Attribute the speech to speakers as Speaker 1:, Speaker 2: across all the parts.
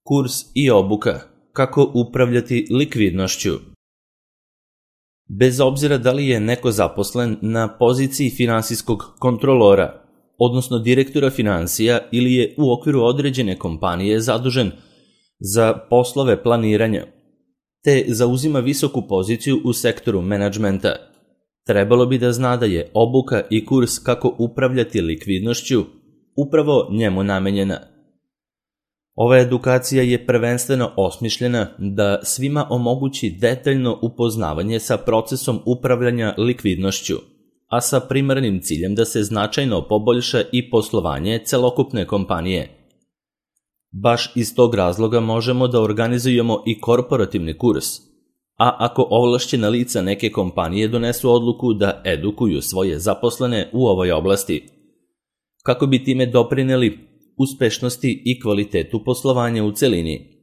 Speaker 1: Kurs i obuka kako upravljati likvidnošću. Bez obzira da li je neko zaposlen na poziciji finansijskog kontrolora, odnosno direktora finansija, ili je u okviru određene kompanije zadužen za poslove planiranja, te zauzima visoku poziciju u sektoru menadžmenta, trebalo bi da zna da je obuka i kurs kako upravljati likvidnošću upravo njemu namenjena. Ova edukacija je prvenstveno osmišljena da svima omogući detaljno upoznavanje sa procesom upravljanja likvidnošću, a sa primarnim ciljem da se značajno poboljša i poslovanje celokupne kompanije. Baš iz tog razloga možemo da organizujemo i korporativni kurs, a ako ovlašćena lica neke kompanije donesu odluku da edukuju svoje zaposlene u ovoj oblasti, kako bi time doprineli uspešnosti i kvalitetu poslovanja u celini.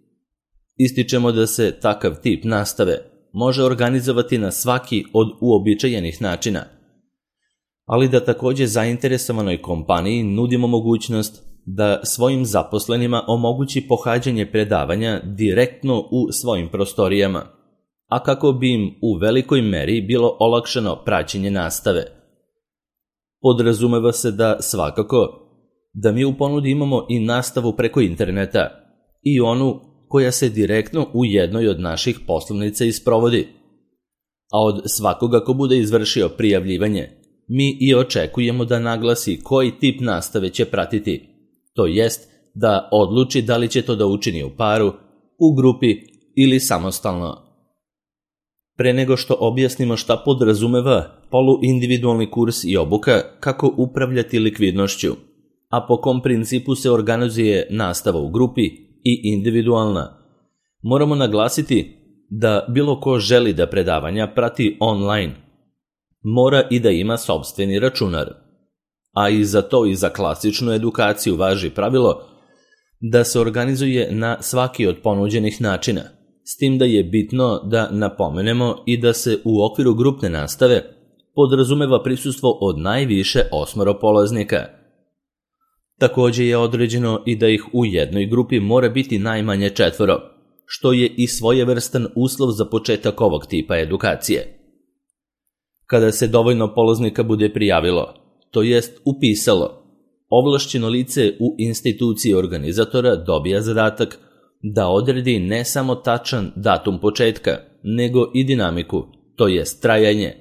Speaker 1: Ističemo da se takav tip nastave može organizovati na svaki od uobičajenih načina, ali da takođe zainteresovanoj kompaniji nudimo mogućnost da svojim zaposlenima omogući pohađanje predavanja direktno u svojim prostorijama, a kako bi im u velikoj meri bilo olakšano praćenje nastave. Podrazumeva se da svakako da mi u ponudi imamo i nastavu preko interneta i onu koja se direktno u jednoj od naših poslovnica isprovodi. A od svakoga ko bude izvršio prijavljivanje, mi i očekujemo da naglasi koji tip nastave će pratiti, to jest da odluči da li će to da učini u paru, u grupi ili samostalno. Pre nego što objasnimo šta podrazumeva poluindividualni kurs i obuka kako upravljati likvidnošću, a po kom principu se organizuje nastava u grupi i individualna, moramo naglasiti da bilo ko želi da predavanja prati online, mora i da ima sopstveni računar. A i za to i za klasičnu edukaciju važi pravilo da se organizuje na svaki od ponuđenih načina, s tim da je bitno da napomenemo i da se u okviru grupne nastave podrazumeva prisustvo od najviše 8 polaznika. Takođe je određeno i da ih u jednoj grupi mora biti najmanje 4, što je i svojevrstan uslov za početak ovog tipa edukacije. Kada se dovoljno polaznika bude prijavilo, to jest upisalo, ovlašćeno lice u instituciji organizatora dobija zadatak da odredi ne samo tačan datum početka, nego i dinamiku, to jest trajanje,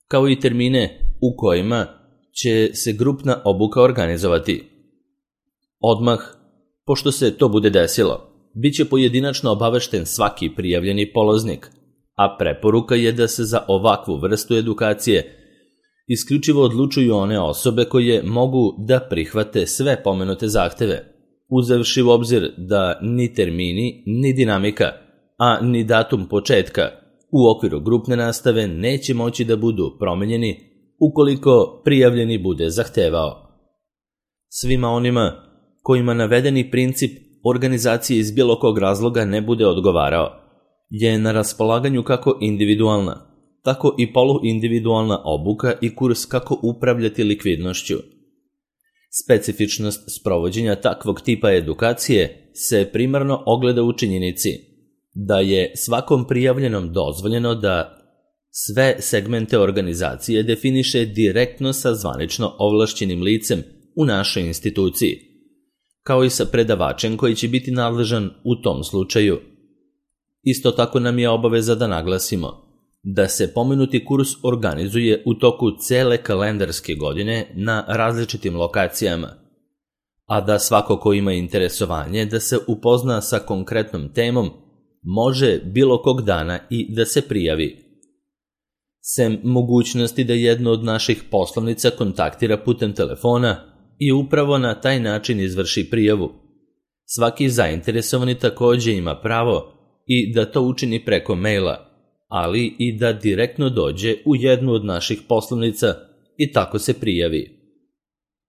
Speaker 1: kao i termine u kojima će se grupna obuka organizovati. Odmah, pošto se to bude desilo, bit će pojedinačno obavešten svaki prijavljeni polaznik, a preporuka je da se za ovakvu vrstu edukacije isključivo odlučuju one osobe koje mogu da prihvate sve pomenute zahteve, uzevši u obzir da ni termini, ni dinamika, a ni datum početka u okviru grupne nastave neće moći da budu promenjeni ukoliko prijavljeni bude zahtevao. Svima onima kojima navedeni princip organizacije iz bilo kog razloga ne bude odgovarao, je na raspolaganju kako individualna, tako i poluindividualna obuka i kurs kako upravljati likvidnošću. Specifičnost sprovođenja takvog tipa edukacije se primarno ogleda u činjenici da je svakom prijavljenom dozvoljeno da sve segmente organizacije definiše direktno sa zvanično ovlašćenim licem u našoj instituciji, kao i sa predavačem koji će biti nadležan u tom slučaju. Isto tako nam je obaveza da naglasimo da se pomenuti kurs organizuje u toku cele kalendarske godine na različitim lokacijama, a da svako ko ima interesovanje da se upozna sa konkretnom temom može bilo kog dana i da se prijavi. Sem mogućnosti da jednu od naših poslovnica kontaktira putem telefona i upravo na taj način izvrši prijavu, svaki zainteresovani takođe ima pravo i da to učini preko maila, ali i da direktno dođe u jednu od naših poslovnica i tako se prijavi.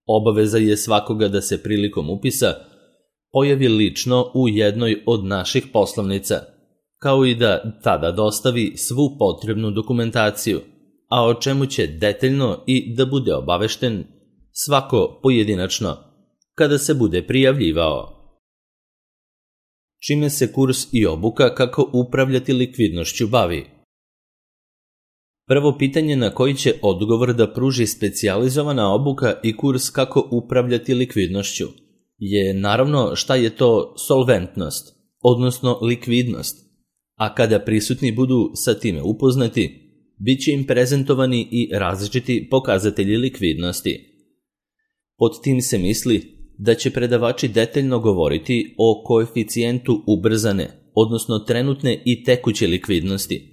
Speaker 1: Obaveza je svakoga da se prilikom upisa pojavi lično u jednoj od naših poslovnica, kao i da tada dostavi svu potrebnu dokumentaciju, a o čemu će detaljno i da bude obavešten svako pojedinačno kada se bude prijavljivao. čime se kurs i obuka kako upravljati likvidnošću bavi. Prvo pitanje na koji će odgovor da pruži specijalizovana obuka i kurs kako upravljati likvidnošću je naravno šta je to solventnost, odnosno likvidnost, a kada prisutni budu sa time upoznati, bit će im prezentovani i različiti pokazatelji likvidnosti. Pod tim se misli da će predavači detaljno govoriti o koeficijentu ubrzane, odnosno trenutne i tekuće likvidnosti,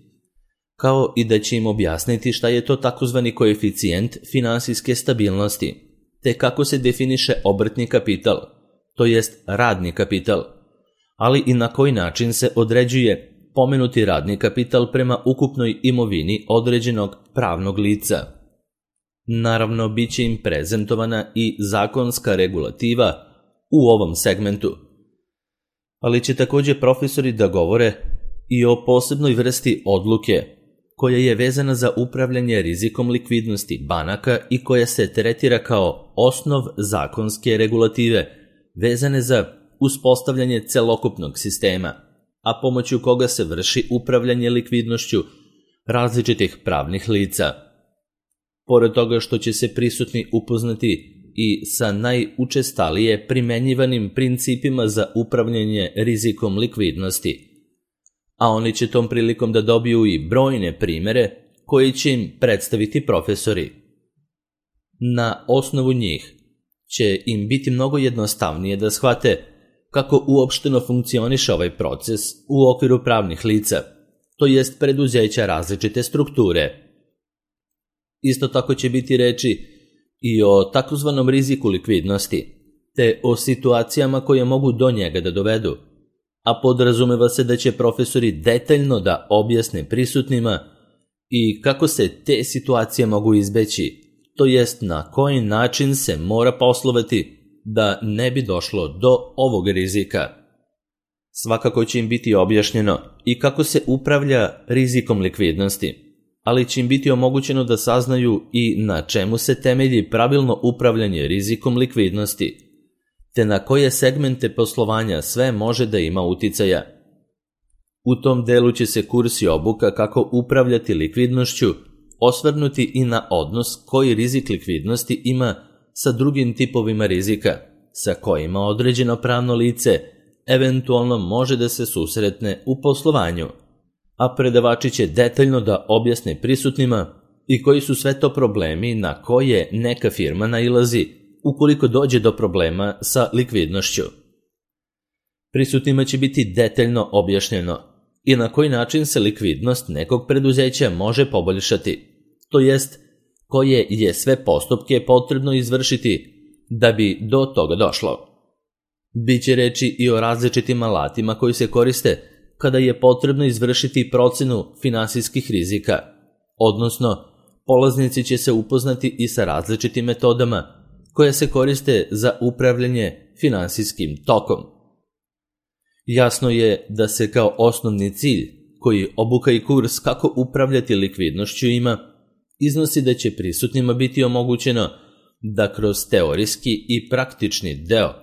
Speaker 1: kao i da će im objasniti šta je to takozvani koeficijent finansijske stabilnosti, te kako se definiše obrtni kapital, to jest radni kapital, ali i na koji način se određuje pomenuti radni kapital prema ukupnoj imovini određenog pravnog lica. Naravno, bit će im prezentovana i zakonska regulativa u ovom segmentu, ali će također profesori da govore i o posebnoj vrsti odluke koja je vezana za upravljanje rizikom likvidnosti banaka i koja se tretira kao osnov zakonske regulative vezane za uspostavljanje celokupnog sistema, a pomoću koga se vrši upravljanje likvidnošću različitih pravnih lica. Pored toga što će se prisutni upoznati i sa najučestalije primenjivanim principima za upravljanje rizikom likvidnosti, a oni će tom prilikom da dobiju i brojne primere koji će im predstaviti profesori. Na osnovu njih će im biti mnogo jednostavnije da shvate kako uopšteno funkcioniše ovaj proces u okviru pravnih lica, to jest preduzeća različite strukture. Isto tako će biti reči i o takozvanom riziku likvidnosti, te o situacijama koje mogu do njega da dovedu, a podrazumeva se da će profesori detaljno da objasne prisutnima i kako se te situacije mogu izbeći, to jest na koji način se mora poslovati da ne bi došlo do ovog rizika. Svakako će im biti objašnjeno i kako se upravlja rizikom likvidnosti, ali će im biti omogućeno da saznaju i na čemu se temelji pravilno upravljanje rizikom likvidnosti, te na koje segmente poslovanja sve može da ima uticaja. U tom delu će se kurs i obuka kako upravljati likvidnošću osvrnuti i na odnos koji rizik likvidnosti ima sa drugim tipovima rizika, sa kojima određeno pravno lice eventualno može da se susretne u poslovanju, a predavači će detaljno da objasne prisutnima i koji su sve to problemi na koje neka firma nailazi ukoliko dođe do problema sa likvidnošću. Prisutnima će biti detaljno objašnjeno i na koji način se likvidnost nekog preduzeća može poboljšati, to jest koje je sve postupke potrebno izvršiti da bi do toga došlo. Biće reči i o različitim alatima koji se koriste kada je potrebno izvršiti procenu finansijskih rizika, odnosno polaznici će se upoznati i sa različitim metodama koje se koriste za upravljanje finansijskim tokom. Jasno je da se kao osnovni cilj koji obuka i kurs kako upravljati likvidnošću ima, iznosi da će prisutnima biti omogućeno da kroz teorijski i praktični deo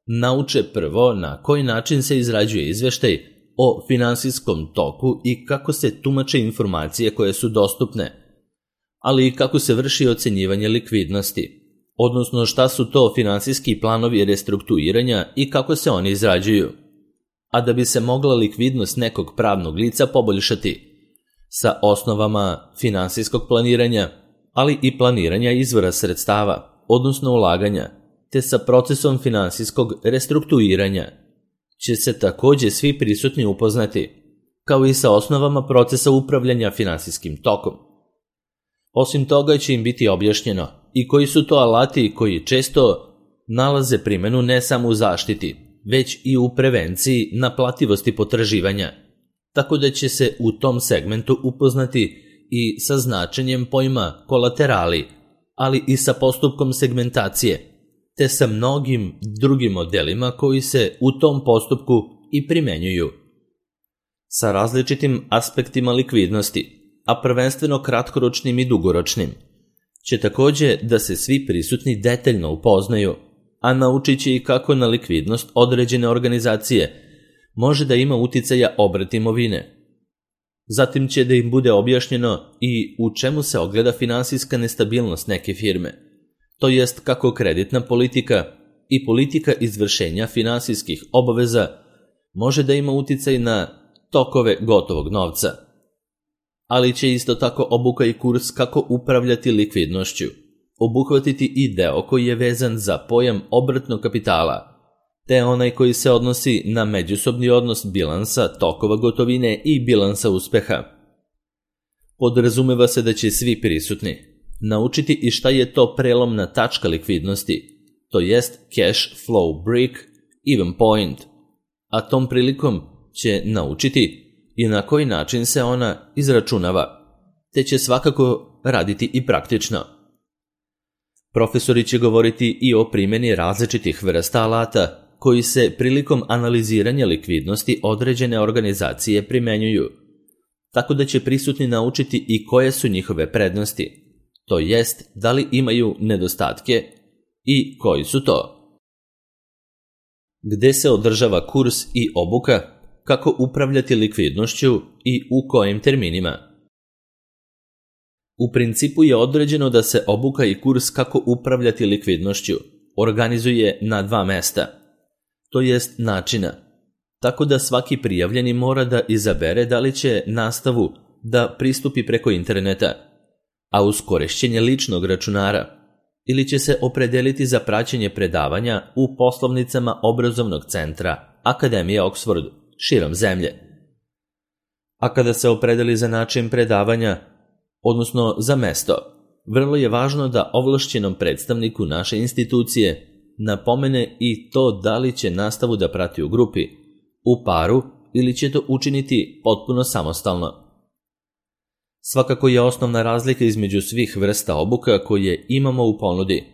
Speaker 1: nauče prvo na koji način se izrađuje izveštaj o finansijskom toku i kako se tumače informacije koje su dostupne, ali i kako se vrši ocenjivanje likvidnosti, odnosno šta su to finansijski planovi restrukturiranja i kako se oni izrađuju, a da bi se mogla likvidnost nekog pravnog lica poboljšati sa osnovama finansijskog planiranja, ali i planiranja izvora sredstava, odnosno ulaganja, te sa procesom finansijskog restrukturiranja, će se također svi prisutni upoznati, kao i sa osnovama procesa upravljanja finansijskim tokom. Osim toga će im biti objašnjeno i koji su to alati koji često nalaze primjenu ne samo u zaštiti, već i u prevenciji naplativosti potraživanja, tako da će se u tom segmentu upoznati i sa značenjem pojma kolaterali, ali i sa postupkom segmentacije, te sa mnogim drugim modelima koji se u tom postupku i primenjuju. Sa različitim aspektima likvidnosti, a prvenstveno kratkoročnim i dugoročnim, će također da se svi prisutni detaljno upoznaju, a naučit će i kako na likvidnost određene organizacije može da ima uticaja obrt imovine. Zatim će da im bude objašnjeno i u čemu se ogleda finansijska nestabilnost neke firme, to jest kako kreditna politika i politika izvršenja finansijskih obaveza može da ima uticaj na tokove gotovog novca. Ali će isto tako obuka i kurs kako upravljati likvidnošću obuhvatiti i deo koji je vezan za pojam obrtnog kapitala, te onaj koji se odnosi na međusobni odnos bilansa tokova gotovine i bilansa uspeha. Podrazumeva se da će svi prisutni naučiti i šta je to prelomna tačka likvidnosti, to jest cash flow break even point, a tom prilikom će naučiti i na koji način se ona izračunava, te će svakako raditi i praktično. Profesori će govoriti i o primjeni različitih vrsta alata koji se prilikom analiziranja likvidnosti određene organizacije primenjuju, tako da će prisutni naučiti i koje su njihove prednosti, to jest da li imaju nedostatke i koji su to. Gde se održava kurs i obuka, kako upravljati likvidnošću i u kojim terminima. U principu je određeno da se obuka i kurs kako upravljati likvidnošću organizuje na 2 mesta, to jest načina, tako da svaki prijavljeni mora da izabere da li će nastavu da pristupi preko interneta, a uz korišćenje ličnog računara, ili će se opredeliti za praćenje predavanja u poslovnicama obrazovnog centra Akademije Oxford širom zemlje. A kada se opredeli za način predavanja, odnosno za mesto, vrlo je važno da ovlašćenom predstavniku naše institucije napomene i to da li će nastavu da prati u grupi, u paru ili će to učiniti potpuno samostalno. Svakako je osnovna razlika između svih vrsta obuka koje imamo u ponudi,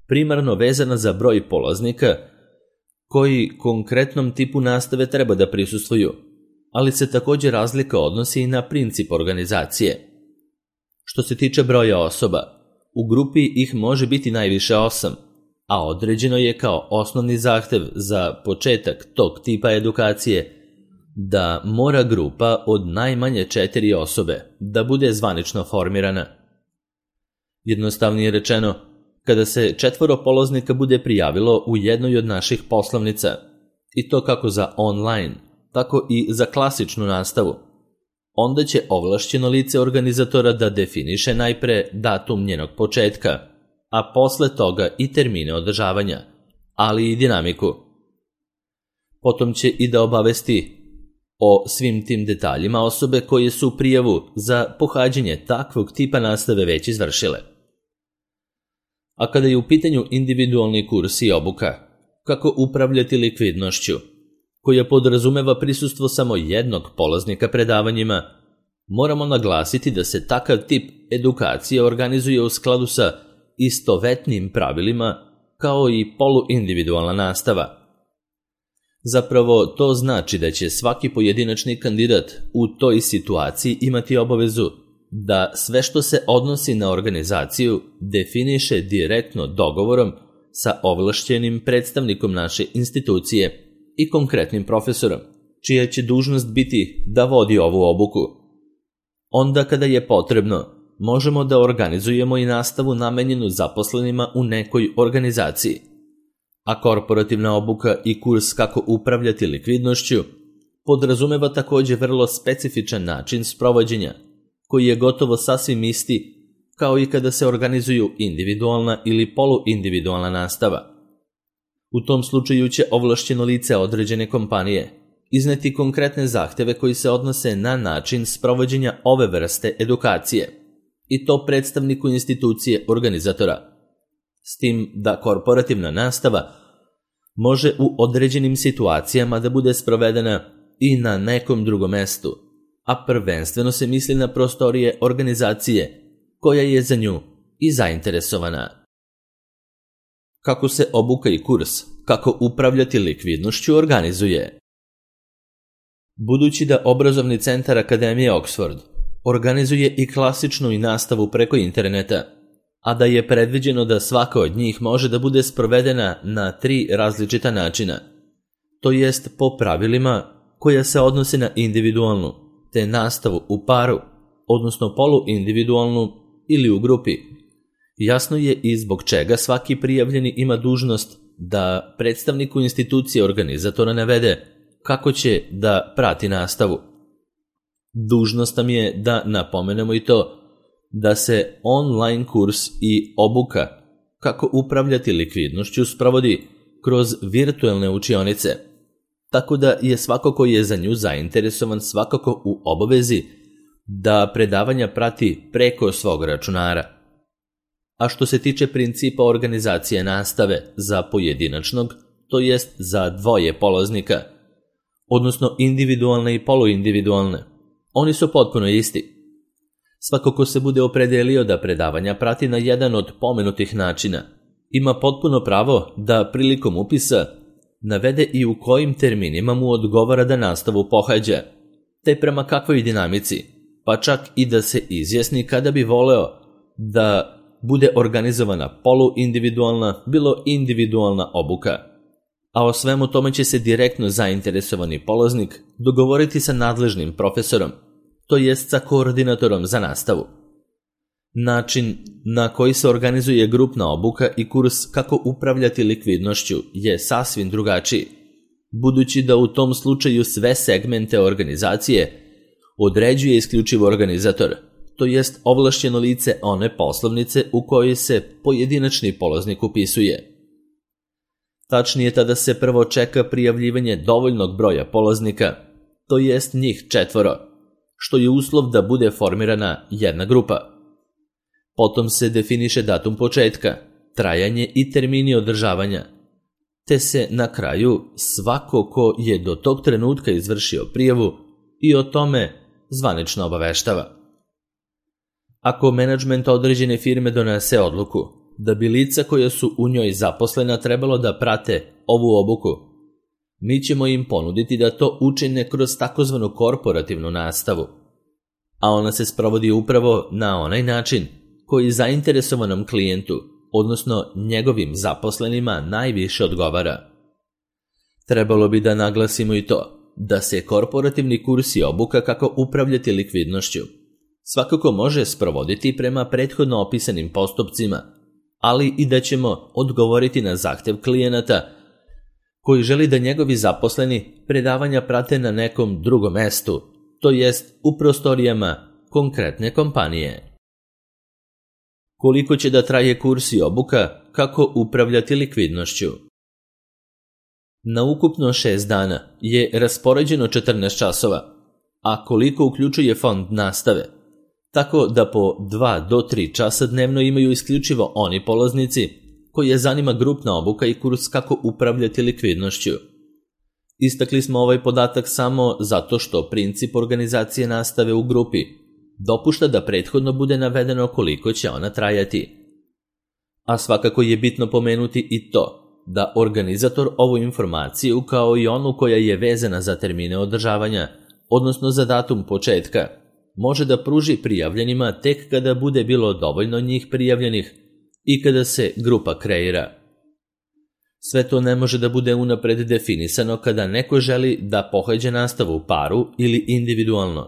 Speaker 1: primarno vezana za broj polaznika koji konkretnom tipu nastave treba da prisustvuju, ali se također razlika odnosi i na princip organizacije. Što se tiče broja osoba, u grupi ih može biti najviše 8, a određeno je kao osnovni zahtev za početak tog tipa edukacije da mora grupa od najmanje 4 osobe da bude zvanično formirana. Jednostavnije rečeno, kada se 4 polaznika bude prijavilo u jednoj od naših poslovnica, i to kako za online, tako i za klasičnu nastavu, onda će ovlašćeno lice organizatora da definiše najpre datum njenog početka, a posle toga i termine održavanja, ali i dinamiku. Potom će i da obavesti o svim tim detaljima osobe koje su prijavu za pohađanje takvog tipa nastave već izvršile. A kada je u pitanju individualni kurs i obuka, kako upravljati likvidnošću, koja podrazumeva prisustvo samo jednog polaznika predavanjima, moramo naglasiti da se takav tip edukacije organizuje u skladu sa istovetnim pravilima kao i poluindividualna nastava. Zapravo to znači da će svaki pojedinačni kandidat u toj situaciji imati obavezu da sve što se odnosi na organizaciju definiše direktno dogovorom sa ovlašćenim predstavnikom naše institucije i konkretnim profesorom, čija će dužnost biti da vodi ovu obuku. Onda kada je potrebno, možemo da organizujemo i nastavu namenjenu zaposlenima u nekoj organizaciji, a korporativna obuka i kurs kako upravljati likvidnošću podrazumeva također vrlo specifičan način sprovođenja, koji je gotovo sasvim isti kao i kada se organizuju individualna ili poluindividualna nastava. U tom slučaju će ovlašćeno lice određene kompanije izneti konkretne zahteve koji se odnose na način sprovođenja ove vrste edukacije, i to predstavniku institucije organizatora, s tim da korporativna nastava može u određenim situacijama da bude sprovedena i na nekom drugom mestu, a prvenstveno se misli na prostorije organizacije koja je za nju i zainteresovana. Kako se obuka i kurs, kako upravljati likvidnošću organizuje? Budući da obrazovni centar Akademije Oxford organizuje i klasičnu i nastavu preko interneta, a da je predviđeno da svaka od njih može da bude sprovedena na 3 različita načina, to jest po pravilima koja se odnose na individualnu, te nastavu u paru, odnosno poluindividualnu ili u grupi. Jasno je i zbog čega svaki prijavljeni ima dužnost da predstavniku institucije organizatora navede kako će da prati nastavu. Dužnost nam je da napomenemo i to da se online kurs i obuka kako upravljati likvidnošću sprovodi kroz virtuelne učionice, tako da je svako ko je za nju zainteresovan svakako u obavezi da predavanja prati preko svog računara. A što se tiče principa organizacije nastave za pojedinačnog, to jest za dvoje polaznika, odnosno individualne i poluindividualne, oni su potpuno isti. Svako ko se bude opredelio da predavanja prati na jedan od pomenutih načina, ima potpuno pravo da prilikom upisa navede i u kojim terminima mu odgovara da nastavu pohađa, te prema kakvoj dinamici, pa čak i da se izjasni kada bi voleo da bude organizovana poluindividualna, bilo individualna obuka. A o svemu tome će se direktno zainteresovani polaznik dogovoriti sa nadležnim profesorom, to jest sa koordinatorom za nastavu. Način na koji se organizuje grupna obuka i kurs kako upravljati likvidnošću je sasvim drugačiji, budući da u tom slučaju sve segmente organizacije određuje isključivo organizator, to jest ovlašćeno lice one poslovnice u kojoj se pojedinačni polaznik upisuje. Tačnije, tada se prvo čeka prijavljivanje dovoljnog broja polaznika, to jest njih 4, što je uslov da bude formirana jedna grupa. Potom se definiše datum početka, trajanje i termini održavanja, te se na kraju svako ko je do tog trenutka izvršio prijavu i o tome zvanično obaveštava. Ako menadžment određene firme donese odluku da bi lica koja su u njoj zaposlena trebalo da prate ovu obuku, mi ćemo im ponuditi da to učine kroz takozvanu korporativnu nastavu, a ona se sprovodi upravo na onaj način koji zainteresovanom klijentu, odnosno njegovim zaposlenima, najviše odgovara. Trebalo bi da naglasimo i to da se korporativni kurs i obuka kako upravljati likvidnošću svakako može sprovoditi prema prethodno opisanim postupcima, ali i da ćemo odgovoriti na zahtev klijenata koji želi da njegovi zaposleni predavanja prate na nekom drugom mestu, to jest u prostorijama konkretne kompanije. Koliko će da traje kurs i obuka kako upravljati likvidnošću? Na ukupno 6 dana je raspoređeno 14 časova, a koliko uključuje fond nastave, tako da po 2 do 3 časa dnevno imaju isključivo oni polaznici koje zanima grupna obuka i kurs kako upravljati likvidnošću. Istakli smo ovaj podatak samo zato što princip organizacije nastave u grupi dopušta da prethodno bude navedeno koliko će ona trajati. A svakako je bitno pomenuti i to da organizator ovu informaciju kao i onu koja je vezana za termine održavanja, odnosno za datum početka, može da pruži prijavljenima tek kada bude bilo dovoljno njih prijavljenih i kada se grupa kreira. Sve to ne može da bude unapred definisano kada neko želi da pohađa nastavu u paru ili individualno,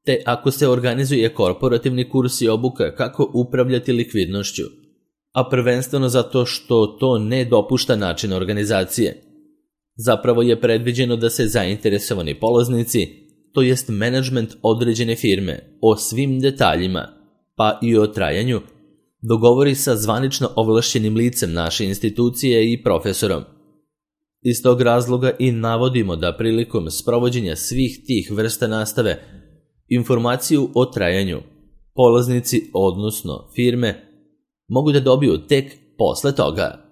Speaker 1: te ako se organizuje korporativni kurs i obuka kako upravljati likvidnošću, a prvenstveno zato što to ne dopušta način organizacije. Zapravo je predviđeno da se zainteresovani polaznici, to jest menadžment određene firme, o svim detaljima, pa i o trajanju, dogovori sa zvanično ovlašćenim licem naše institucije i profesorom. Iz tog razloga i navodimo da prilikom sprovođenja svih tih vrsta nastave, informaciju o trajanju polaznici, odnosno firme, mogu da dobiju tek posle toga.